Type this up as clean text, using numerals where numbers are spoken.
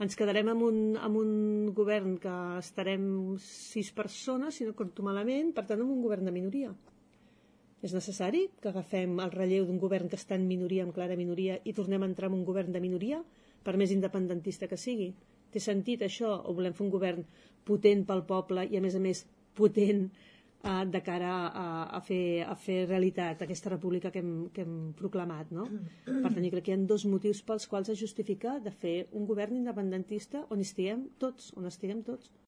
ens quedarem amb un govern que estarem 6 persones, si no compto malament, per tant amb un govern de minoria. És necessari que agafem el relleu d'un govern que està en minoria, en clara minoria, i tornem a entrar en un govern de minoria, per més independentista que sigui? Té sentit això? O volem fer un govern potent pel poble i a més potent de cara a fer realitat aquesta república que hem proclamat, no? Per tant, jo crec que hi ha 2 motius pels quals es justifica de fer un govern independentista on estiguem tots.